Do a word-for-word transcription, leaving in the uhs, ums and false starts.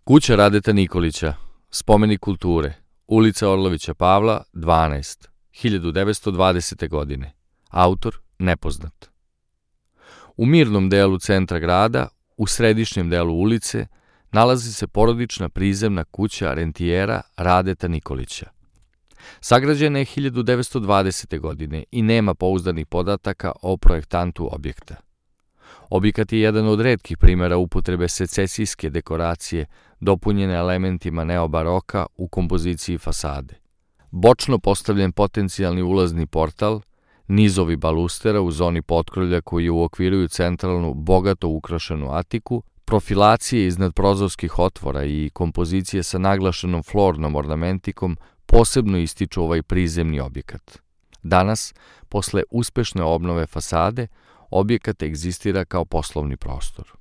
Kuća Radeta Nikolića, spomenik kulture, ulica Orlovića Pavla, dvanaest, hiljadu devetsto dvadesete. godine. Autor nepoznat. U mirnom delu centra grada, u središnjem delu ulice, nalazi se porodična prizemna kuća rentijera Radeta Nikolića. Sagrađena je hiljadu devetsto dvadesete. godine i nema pouzdanih podataka o projektantu objekta. Objekat je jedan od retkih primjera upotrebe secesijske dekoracije dopunjene elementima neobaroka u kompoziciji fasade. Bočno postavljen potencijalni ulazni portal, nizovi balustera u zoni potkrovlja koji uokviruju centralnu, bogato ukrašenu atiku, profilacije iznad prozorskih otvora i kompozicije sa naglašenom flornom ornamentikom posebno ističu ovaj prizemni objekat. Danas, posle uspešne obnove fasade, objekat egzistira kao poslovni prostor.